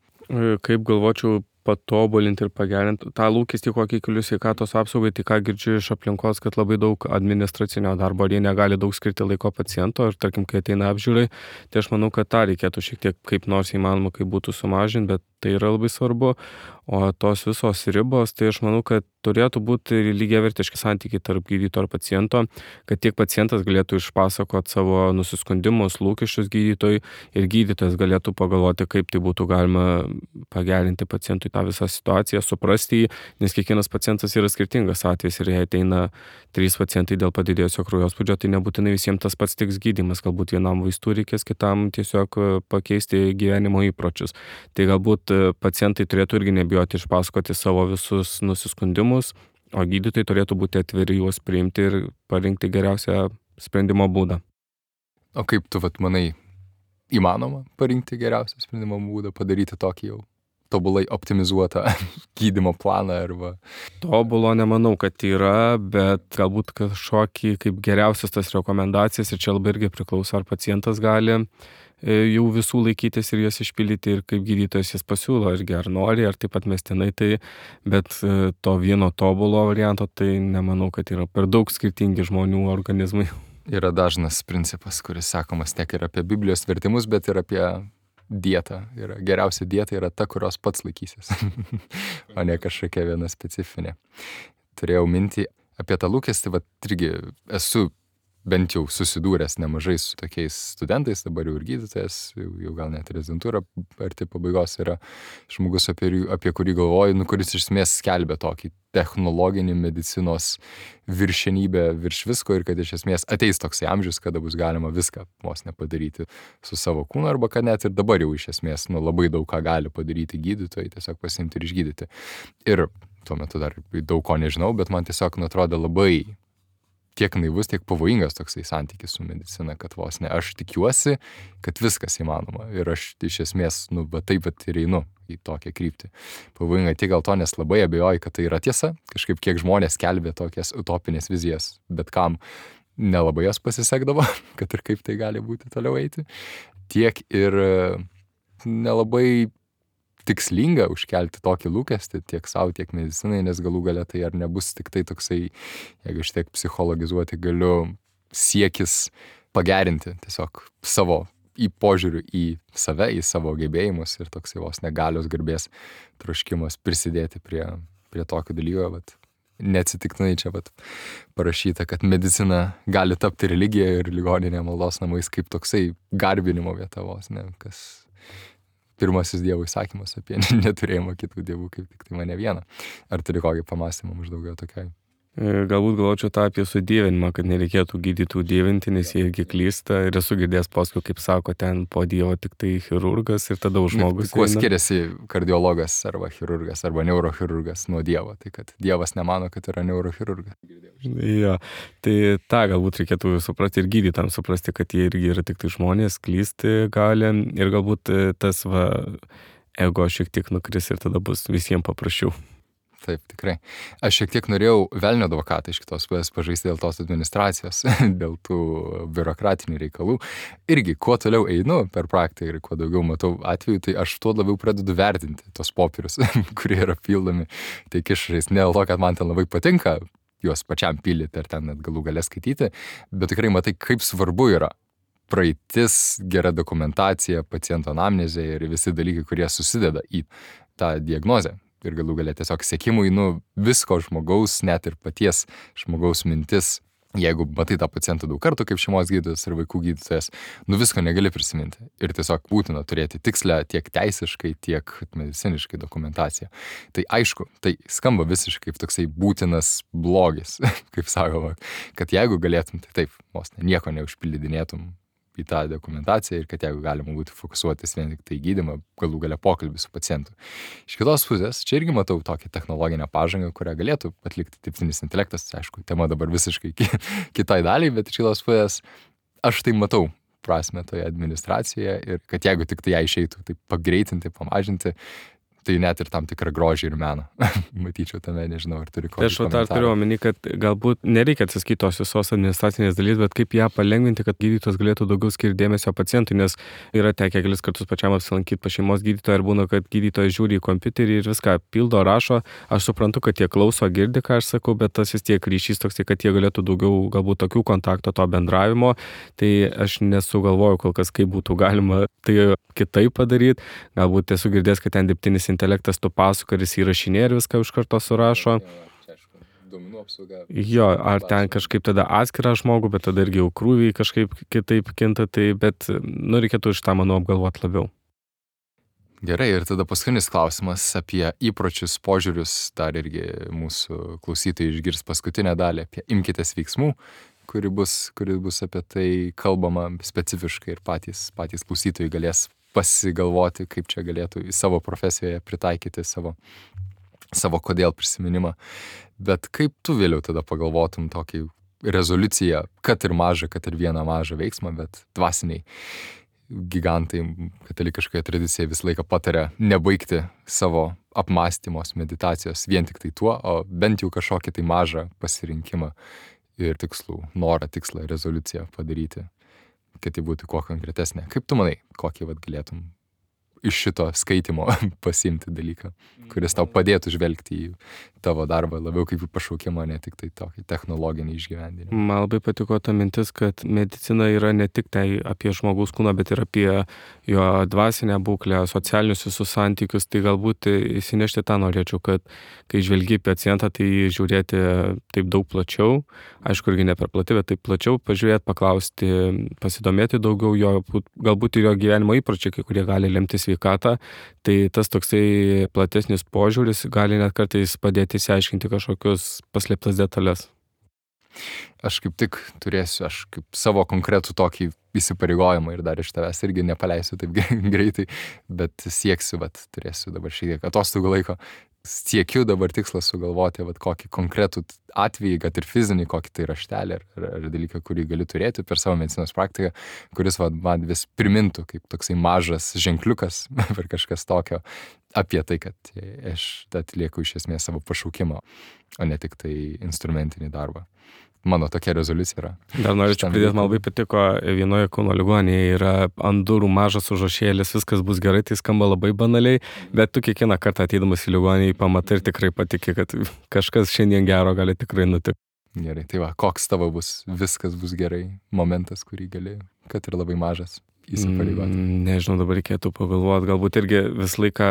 [SPEAKER 2] Kaip galvočiau patobulinti ir pagerinti tą lūkestį, kokį keliu sveikatos apsaugai, tai ką girdžiu iš aplinkos, kad labai daug administracinio darbo, ar jie negali daug skirti laiko paciento, ir tarkim, kai ateina apžiūrai, tai aš manau, kad tą reikėtų šiek tiek kaip nors įmanoma, kaip būtų sumažinti, bet tai yra labai svarbu. O tos visos ribos, tai aš manau, kad turėtų būti lygiavertiški santykiai tarp gydytojo ir paciento, kad tiek pacientas galėtų išpasakoti savo nusiskundimus, lūkesčius gydytojui ir gydytojas galėtų pagalvoti, kaip tai būtų galima pagerinti pacientui tą visą situaciją, suprasti jį, nes kiekvienas pacientas yra skirtingas atvejis ir jei ateina 3 pacientai dėl padidėjusio kraujospūdžio, tai nebūtinai visiems tas pats tiks gydymas, galbūt vienam vaistų reikės, kitam tiesiog pakeisti gyvenimo įpročius. Tai galbūt pacientai turėtų irgi nebijoti išpasakoti savo visus nusiskundimus, o gydytojai turėtų būti atviri juos priimti ir parinkti geriausią sprendimo būdą.
[SPEAKER 1] O kaip tu manai, įmanoma parinkti geriausią sprendimo būdą, padaryti tokį jau tobulai optimizuotą gydymo planą arba...
[SPEAKER 2] Tobulo nemanau, kad yra, bet galbūt kažkokį kaip geriausias tas rekomendacijas, ir čia labai irgi priklauso, ar pacientas gali jau visų laikytis ir jas išpildyti, ir kaip gydytojas jas pasiūlo, irgi ar nori, ar taip pat mestinai, tai, bet to vieno tobulo varianto, tai nemanau, kad yra per daug skirtingi žmonių organizmai.
[SPEAKER 1] Yra dažnas principas, kuris sakomas tiek ir apie Biblijos vertimus, bet ir apie dieta. Geriausia dieta yra ta, kurios pats laikysis, o ne kažkokia viena specifinė. Turėjau mintį apie tą lūkestį, irgi esu bent jau susidūręs nemažai su tokiais studentais, dabar jau ir gydytojas, jau gal net rezidentūra arti pabaigos yra žmogus, apie kurį galvoju, kuris iš esmės skelbia tokį technologinį medicinos viršenybę virš visko ir kad iš esmės ateis toksai amžius, kada bus galima viską vos nepadaryti su savo kūnu, arba kad net ir dabar jau iš esmės labai daug ką gali padaryti gydytojai, tiesiog pasiimti ir išgydyti. Ir tuo metu dar daug ko nežinau, bet man tiesiog atrodo labai tiek naivus, tiek pavojingas toksai santykis su medicina, kad vos ne aš tikiuosi, kad viskas įmanoma ir aš iš esmės, taip ir einu į tokią kryptį. Pavojinga tik gal to, nes labai abejoju, kad tai yra tiesa, kažkaip kiek žmonės skelbė tokias utopinės vizijas, bet kam nelabai jas pasisekdavo, kad ir kaip tai gali būti toliau eiti, tiek ir nelabai tikslinga užkelti tokį lūkestį tiek savo, tiek medicinai, nes galų gale tai ar nebus tik tai toksai, jeigu aš tiek psichologizuoti galiu, siekis pagerinti tiesiog savo požiūrių į save, į savo gebėjimus ir toksai vos negalios garbės troškimas prisidėti prie tokio dalyko, neatsitiktinai čia vat parašyta, kad medicina gali tapti religija ir ligoninė maldos namais kaip toksai garbinimo vieta vos, ne, kas pirmasis Dievo įsakymas apie neturėjimą kitų dievų, kaip tik tai mane vieną. Ar turi kokį pamąstymą maždaug jo tokiai?
[SPEAKER 2] Galbūt galvočiau tą apie sudievinimą, kad nereikėtų gydytų dievinti, nes jie irgi klysta ir esu girdėjęs paskui, kaip sako, ten po Dievo tik tai chirurgas ir tada už žmogus.
[SPEAKER 1] Kuo skiriasi kardiologas arba chirurgas arba neurochirurgas nuo Dievo? Tai kad Dievas nemano, kad yra neurochirurgas.
[SPEAKER 2] Jo, tai tą galbūt reikėtų suprasti ir gydytam suprasti, kad jie irgi yra tik tai žmonės, klysti gali ir galbūt tas ego šiek tiek nukris ir tada bus visiems paprasčiau.
[SPEAKER 1] Taip, tikrai. Aš šiek tiek norėjau velnio advokatą iš kitos pusės pažaisti dėl tos administracijos, dėl tų biurokratinių reikalų. Irgi, kuo toliau einu per praktiką ir kuo daugiau matau atvejų, tai aš tuo labiau pradedu vertinti tos popierius, kurie yra pildomi tiek išrais. Ne dėl to, kad man ten labai patinka juos pačiam pildyti ir ten net galų galę skaityti, bet tikrai matai, kaip svarbu yra praeitis, gera dokumentacija, paciento anamnezė ir visi dalykai, kurie susideda į tą diagnozę. Ir galų galia tiesiog sekimui, visko žmogaus, net ir paties žmogaus mintis, jeigu matai tą pacientą daug kartų kaip šeimos gydytojas ir vaikų gydytojas, visko negali prisiminti. Ir tiesiog būtina turėti tikslę tiek teisiškai, tiek mediciniškai dokumentaciją. Tai aišku, tai skamba visiškai kaip toksai būtinas blogis, kaip sakoma, kad jeigu galėtum, tai taip, vos nieko neužpildinėtum į tą dokumentaciją ir kad jeigu galima būtų fokusuotis vien tik tai gydymą, galų galia pokalbį su pacientu. Iš kitos pusės, čia irgi matau tokią technologinę pažangą, kurią galėtų atlikti dirbtinis intelektas, aišku, tema dabar visiškai kitai daliai, bet iš kitos pusės aš tai matau prasme toje administracijoje ir kad jeigu tik tai ją išeitų, tai pagreitinti, pamažinti, tai net ir tam tikrą grožį ir meną. Matyčiau tame, nežinau, ar turi kokį komentarą.
[SPEAKER 2] Aš turiu omeny, kad galbūt nereikia atsiskaitos tos visos administracinės dalys, bet kaip ją palengvinti, kad gydytojas galėtų daugiau skirti dėmesio pacientui, nes yra tekę kelis kartus pačiam apsilankyti pas šeimos gydytoją ir būna, kad gydytojas žiūri į kompiuterį ir viską pildo, rašo. Aš suprantu, kad jie klauso, girdi, ką aš sakau, bet tas vis tiek ryšys toks, kad jie galėtų daugiau galbūt tokių kontakto, to bendravimo. Tai aš nesugalvoju kol kas, kaip būtų galima tai kitaip padaryti. Galbūt esu girdėjęs, kad ten dirbtinis intelektas tu pasakoja ir jis įrašinėja ir viską iš karto surašo. Jo, ar ten kažkaip tada atskirą žmogų, bet tada irgi jau krūviai kažkaip kitaip kinta, tai bet reikėtų iš tą, manau, apgalvoti labiau.
[SPEAKER 1] Gerai, ir tada paskutinis klausimas apie įpročius, požiūrius, dar irgi mūsų klausytojai išgirs paskutinę dalį apie imkitės veiksmų, kuri bus apie tai kalbama specifiškai ir patys klausytojai galės pasigalvoti, kaip čia galėtų į savo profesijoje pritaikyti savo kodėl prisiminimą. Bet kaip tu vėliau tada pagalvotum tokį rezoliuciją, kad ir mažą, kad ir vieną mažą veiksmą, bet dvasiniai gigantai katalikiškoje tradicijoje visą laiką pataria nebaigti savo apmąstymos, meditacijos vien tik tai tuo, o bent jau kažkokį tai mažą pasirinkimą ir tikslų, norą, tikslą, rezoliuciją padaryti, kad tai būtų kuo konkretesnė. Kaip tu manai, kokį galėtum iš šito skaitimo pasiimti dalyką, kuris tau padėtų žvelgti į tavo darbą labiau kaip į pašaukimą, ne tik tai tokį technologinį išgyvendinimą?
[SPEAKER 2] Man labai patiko ta mintis, kad medicina yra ne tik tai apie žmogaus kūną, bet ir apie jo dvasinę būklę, socialinius visus santykius. Tai galbūt įsinešti tą norėčiau, kad kai žvelgi pacientą, tai žiūrėti taip daug plačiau, aišku, irgi ne per plati, bet taip plačiau, pažiūrėti, paklausti, pasidomėti daugiau jo, galbūt ir jo gyvenimo įpročiai, kai kurie gali lemti sveikatą, tai tas toksai platesnis požiūris gali net kartais padėti įsiaiškinti kažkokius paslėptas detalės.
[SPEAKER 1] Aš kaip tik turėsiu, aš kaip savo konkretų tokį įsipareigojimą ir dar iš tavęs irgi nepaleisiu taip greitai, bet sieksiu, turėsiu dabar šiek tiek atostogų laiko, siekiu dabar tikslą sugalvoti kokį konkretų atvejį, kad ir fizinį, kokį tai raštelį ar dalyką, kurį galiu turėti per savo medicinos praktiką, kuris man vis primintų kaip toksai mažas ženkliukas per kažkas tokio apie tai, kad aš atlieku iš esmės savo pašaukimą, o ne tik tai instrumentinį darbą. Mano tokia rezoliucija yra.
[SPEAKER 2] Dar norėčiau pridėti, man labai patiko, vienoje Kauno ligoninėje yra ant durų mažas užrašėlis, viskas bus gerai, tai skamba labai banaliai, bet tu kiekvieną kartą ateidamas į ligoninę pamatai ir tikrai patiki, kad kažkas šiandien gero gali tikrai nutikti.
[SPEAKER 1] Gerai, tai koks tavo bus, viskas bus gerai momentas, kurį gali, kad ir labai mažas, įsipareigoti?
[SPEAKER 2] Nežinau, dabar reikėtų pagalvoti, galbūt irgi visą laiką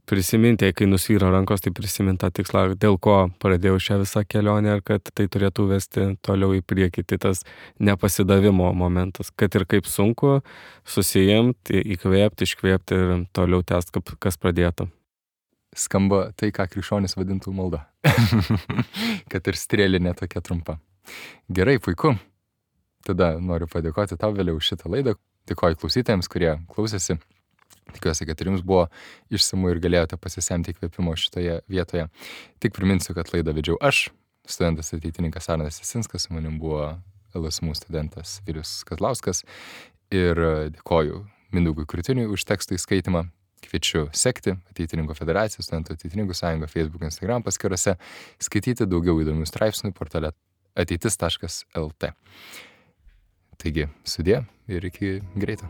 [SPEAKER 2] prisiminti, kai nusvyra rankos, tai prisiminti tą tikslą, dėl ko pradėjau šią visą kelionę ir kad tai turėtų vesti toliau į priekį. Tai tas nepasidavimo momentas, kad ir kaip sunku, susijimti, įkvėpti, iškvėpti ir toliau tęsti, kas pradėta.
[SPEAKER 1] Skamba tai, ką krikščionis vadintų malda. Kad ir strėlinė tokia trumpa. Gerai, puiku. Tada noriu padėkoti tau vėliau už šitą laidą. Dėkoju klausytojams, kurie klausėsi. Tikiuosi, kad ir jums buvo išsamu ir galėjote pasisemti įkvėpimo šitoje vietoje. Tik priminsiu, kad laidą vedžiau aš, studentas ateitininkas Arnas Jasinskas, su manim buvo LSMU studentas Vilius Kazlauskas ir dėkoju Mindaugui Krūtiniui už tekstų įskaitimą. Kviečiu sekti Ateitininkų federaciją, Studentų ateitininkų sąjungą, Facebook, Instagram paskyrose, skaityti daugiau įdomių straipsnių portale ateitis.lt. Taigi, sudie ir iki greito.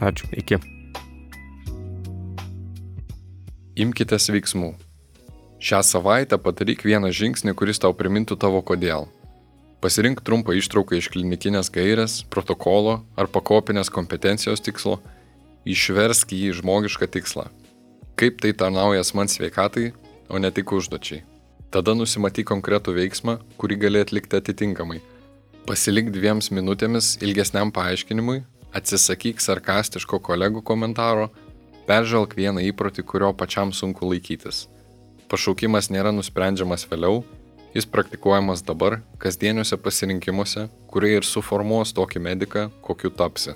[SPEAKER 2] Ačiū, iki.
[SPEAKER 3] Imkitės veiksmų. Šią savaitę padaryk vieną žingsnį, kuris tau primintų tavo kodėl. Pasirink trumpą ištrauką iš klinikinės gairės, protokolo ar pakopinės kompetencijos tikslo, išversk jį į žmogišką tikslą. Kaip tai tarnauja asmens sveikatai, o ne tik užduočiai. Tada nusimatyk konkretų veiksmą, kurį gali atlikti atitinkamai. Pasilik 2 minutėmis ilgesniam paaiškinimui, atsisakyk sarkastiško kolegų komentaro, peržvelk vieną įprotį, kurio pačiam sunku laikytis. Pašaukimas nėra nusprendžiamas vėliau, jis praktikuojamas dabar, kasdieniuose pasirinkimuose, kurie ir suformuos tokį mediką, kokiu tapsi.